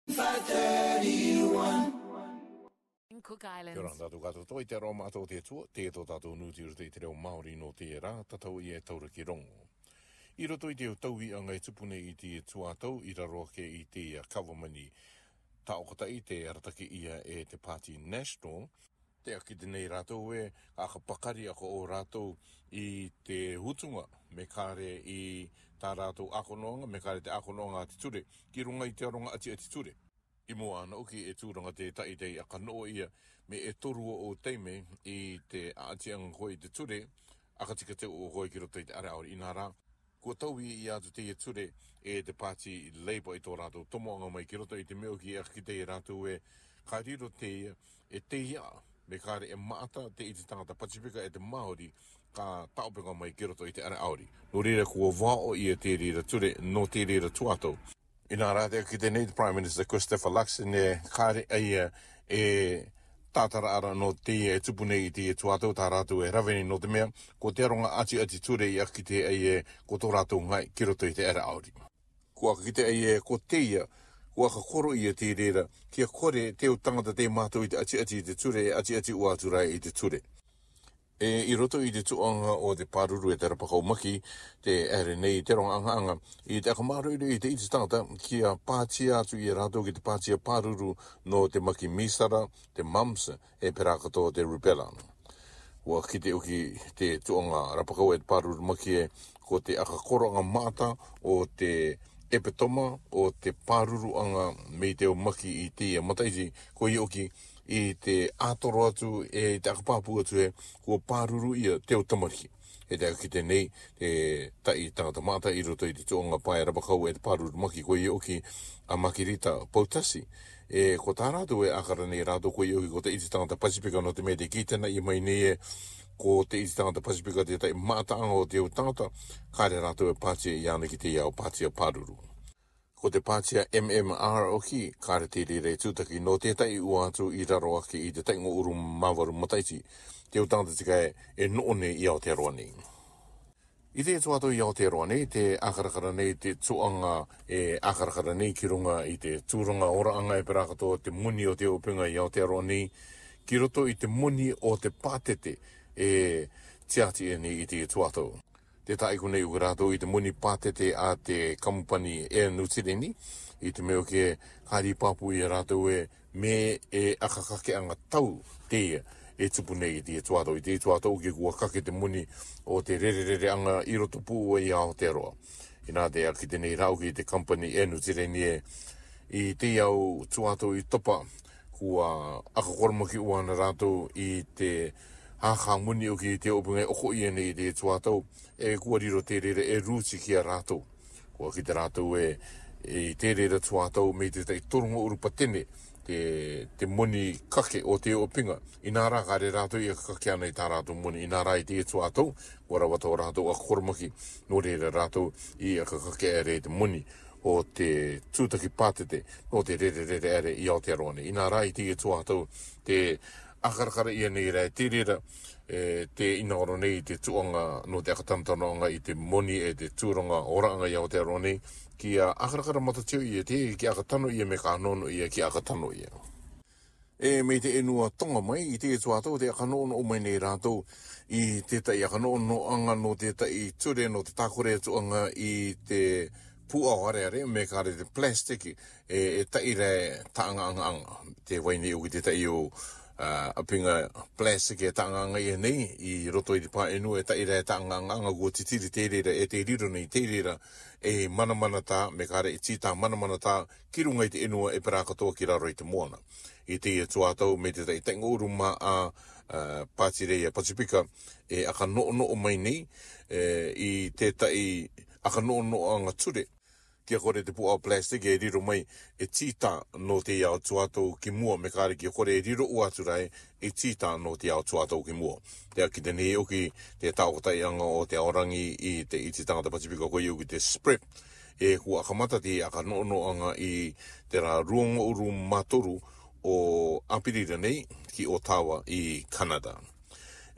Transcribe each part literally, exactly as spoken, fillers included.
Five thirty-one. Cook Islands. Kia ora tātou katoa toi te aroha mātou te atua, te tō tātou nūti roto i te reo Māori nō te rā, tatau i e taura ki rongo. I roto i te taui anga e tupu nei i te tuātau, i raro ake i te kawamani taokotai te arataki ia e te Pāti National, te aki te nei rātou e, ka pakari ako o rātou i te hutunga, me kāre i tā rātou akonoanga, me kāre te akonoanga a te ture, ki runga i te aronga ati a te ture. I mua ana uki e tūranga te tai te aka noa ia, me e torua o teime i te atianga koe i te ture, akatika te o koe ki roto i te are aori inā rā. Kua taui i atu te ture e te Pāti Labour i tō rātou tomoanga mai ki roto i te meo ki a ki te rātou e ka riro te ia, e te ia, me kāre e maata te iti tangata Pasifika e te Māori ka taopenga mai ki roto i te are aori. Nō reira kua wao ia te rira ture, nō te rira tuatou. Inā rā te ki te nei te Prime Minister Christopher Luxon e kāre aia e tātara ara no te e tupu nei i te tuatou tā rātou e rawene no te mea, ko te aronga ati ati ture i aki te ai e ko tō rātou ngai ki roto i te ara aori. Kua ki te ai e ko te ia, kua ka koro ia te rera, kia kore te o tangata te mātou i te ati ati i te ture e ati ati ua atu rai i te ture. E i roto i te tuanga o te pāruru e te rapakau maki, te ere nei te ronga anga anga, i te akamāruiru i te iti tangata kia pātia atu i e rātou ki te pātia pāruru no te maki misara, te mumps, e pera katoa te rubella. Ua kite uki te tuanga rapakau e te pāruru maki e ko te akakoranga māta o te epitoma o te pāruru anga me te o maki i te ia mataiti, ko i oki i te ātoro atu e te akapāpū atu e kua pāruru ia te o tamariki. E te akite nei te tai tangata māta i roto i te tuonga pae rapakau e te pāruru maki ko i oki a Makirita Poutasi. E ko tā rātou e akara nei rātou ko i oki ko te iti tangata Pasifika no te mea te kītena i mai nei e ko te iti tangata Pasifika te tai mātaanga o te o tangata, kāre rātou e pātia i ana ki te iao pātia pāruru. Ko te pātia M M R oki, kāre te rere tūtaki no tētai ua atu i raro ake i te taingo uru māwaru mataiti, te o tangata tika e, e no'o nei i Aotearoa nei. I te tuato i Aotearoa nei, te akarakara nei, te tuanga e akarakara nei ki runga i te tūranga ora anga e pera katoa te moni o te openga i Aotearoa nei, ki roto i te moni o te pātete e tiati e nei i te tuato. Te taiko nei uka rātou i te moni pātete a te kamupani e New Tireni, i te meo ke kāri pāpū i a rātou e me e akakake anga tau te ia e tupu nei i te tuato. I te tuato uke kua kake te moni o te rererere anga i roto pū i Aotearoa. Inā te aki te nei rauki i te kampani e New Tireni e i te au tuato i topa kua akakoromaki uana rātou i te hākā moni o ki te opunga e oko ia nei i te tuato e kua riro te rere e rūti ki a rātou. Kua ki te rātou e, e te rere tuato me te tai toronga urupatene te, te moni kake o te opinga. Inā rā kāre rātou i a kake ana i tā rātou moni. Inā rā i te tuato, kua rawa tō rātou akoromaki, nō reira rātou i a kake ere te moni o te tūtaki pātete nō te rere rere ere i Aotearoa nei. Inā rā i te tuato te akarakara ia nei rā te rera, e, te inaoro nei te tuanga no te akatanatanoanga i te moni e te tūranga oraanga i Aotearoa nei, ki a akarakara matatio ia te, ki akatano ia me ka nono ia ki akatano ia. E me te enua tonga mai i te tuato te akanono o mai nei rātou i tētai akanono anga no tētai ture no te tākore tuanga i te pūao areare me kāre te plastic e, e taire tānga anga anga. Te waini o ki te tai o Uh, apinga plastic e tānganga ia nei i roto i te pā enua e taira e tānganga anga kua titiri te rera e te riro nei te rera e manamana tā me kāre e tītā manamana tā ki runga i te enua e pera katoa ki raro i te moana. I te ia tuātau me te tai tainga uru mā a, uh, Pātireia Pasifika e aka no'ono'o mai nei e, i te tai aka no'ono'o anga ture. Kia kore te pua plastic e riro mai e tītā no te ao tuatou ki mua, me kāre kia kore e riro ua atu rai e tītā no te ao tuatou ki mua. Te aki te nei oki te tāokotai anga o te aorangi i te iti tangata Pasifika ko iu ki te S P R E P e kua akamata te aka no'ono anga i te rā ruongo uru matoru o Apirira nei ki Otawa i Kanada.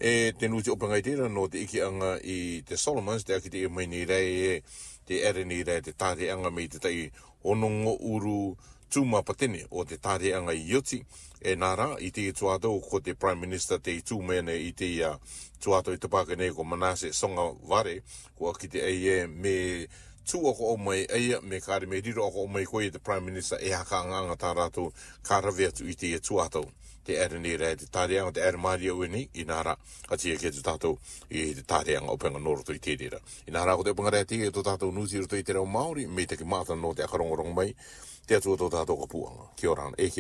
E te nuti openga i tērā no te iki anga i te Solomons, te aki te e mai nei rei e te ere nei rei te tāre anga me te tai honongo uru Tūmapatene o te tāreanga i oti, e nā rā, i te tuātou ko te Prime Minister te i tūmene i te uh, tuātou i te pāke nei ko Manasseh Sogavare, kua ki te eie me tū ako o mai eia, me kāre me riro ako o mai koe te Prime Minister e haka anga anga tā rātou ka rawe atu i te tuātou. Te ere nei rā, te tāreanga, te ere māria ue nei, i nā rā, ka tia ke tu tātou i te tāreanga o penga nōroto i te rera. I nā rā ko te upanga rā te tō tātou nūti roto i te reo Māori, me te ki māta no te akarongorongo mai, te atua tō tātou ka puanga. Kia ora, e kia.